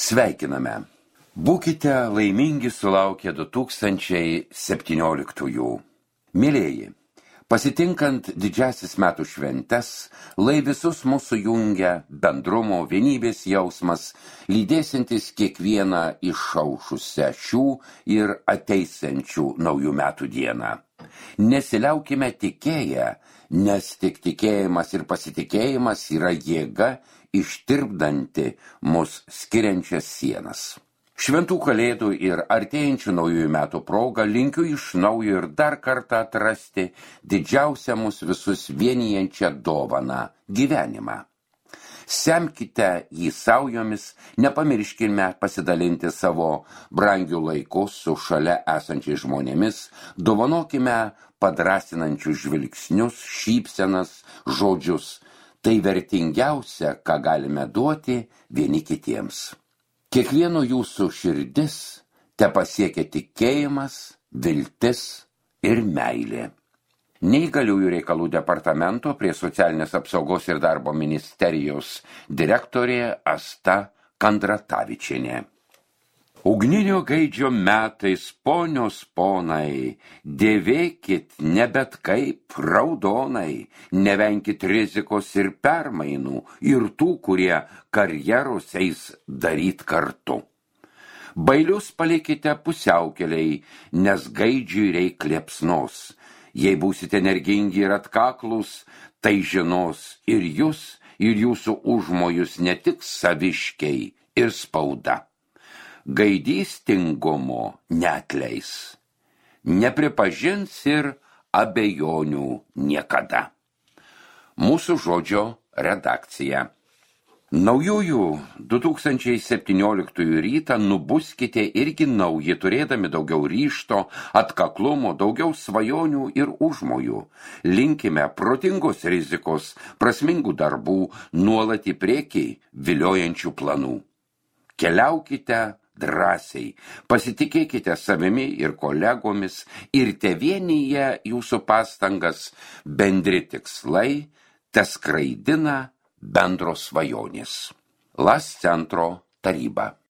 Sveikiname. Būkite laimingi sulaukę 2017-ųjų. Mėlieji, pasitinkant didžiasis metų šventes, lai visus mūsų jungia bendrumo, vienybės jausmas, lydėsintis kiekvieną išaušusią šių ir ateisiančių naujų metų dieną. Nesiliaukime tikėję, nes tik tikėjimas ir pasitikėjimas yra jėga ištirpdanti mus skiriančias sienas. Šventų kalėdų ir artėjančių naujųjų metų progą linkiu iš naujo ir dar kartą atrasti didžiausią mus visus vienijančią dovaną – gyvenimą. Semkite jį saujomis, nepamirškime pasidalinti savo brangių laikų su šalia esančiais žmonėmis, dovanokime padrasinančius žvilgsnius, šypsenas, žodžius. Tai vertingiausia, ką galime duoti vieni kitiems. Kiekvieno jūsų širdis te pasiekia tikėjimas, viltis ir meilė. Neįgaliųjų reikalų departamento prie Socialinės apsaugos ir darbo ministerijos direktorė Asta Kandratavičienė. Ugninio gaidžio metais, ponios ponai, dėvėkit ne bet kaip raudonai, nevenkit rizikos ir permainų ir tų, kurie karjeros eis daryt kartu. Bailius palikite pusiaukeliai, nes gaidžiui reik liepsnos. Jei būsite energingi ir atkaklus, tai žinos ir jūs, ir jūsų užmojus ne tik saviškiai ir spauda. Gaidys tingumo neatleis, nepripažins ir abejonių niekada. Mūsų žodžio redakcija. Naujųjų 2017 rytą nubuskite irgi nauji, turėdami daugiau ryžto, atkaklumo, daugiau svajonių ir užmojų. Linkime protingos rizikos, prasmingų darbų, nuolat į priekį viliojančių planų. Keliaukite drąsiai, pasitikėkite savimi ir kolegomis ir tevienyje jūsų pastangas bendri tikslai teskraidina bendros svajonės. LAS centro taryba.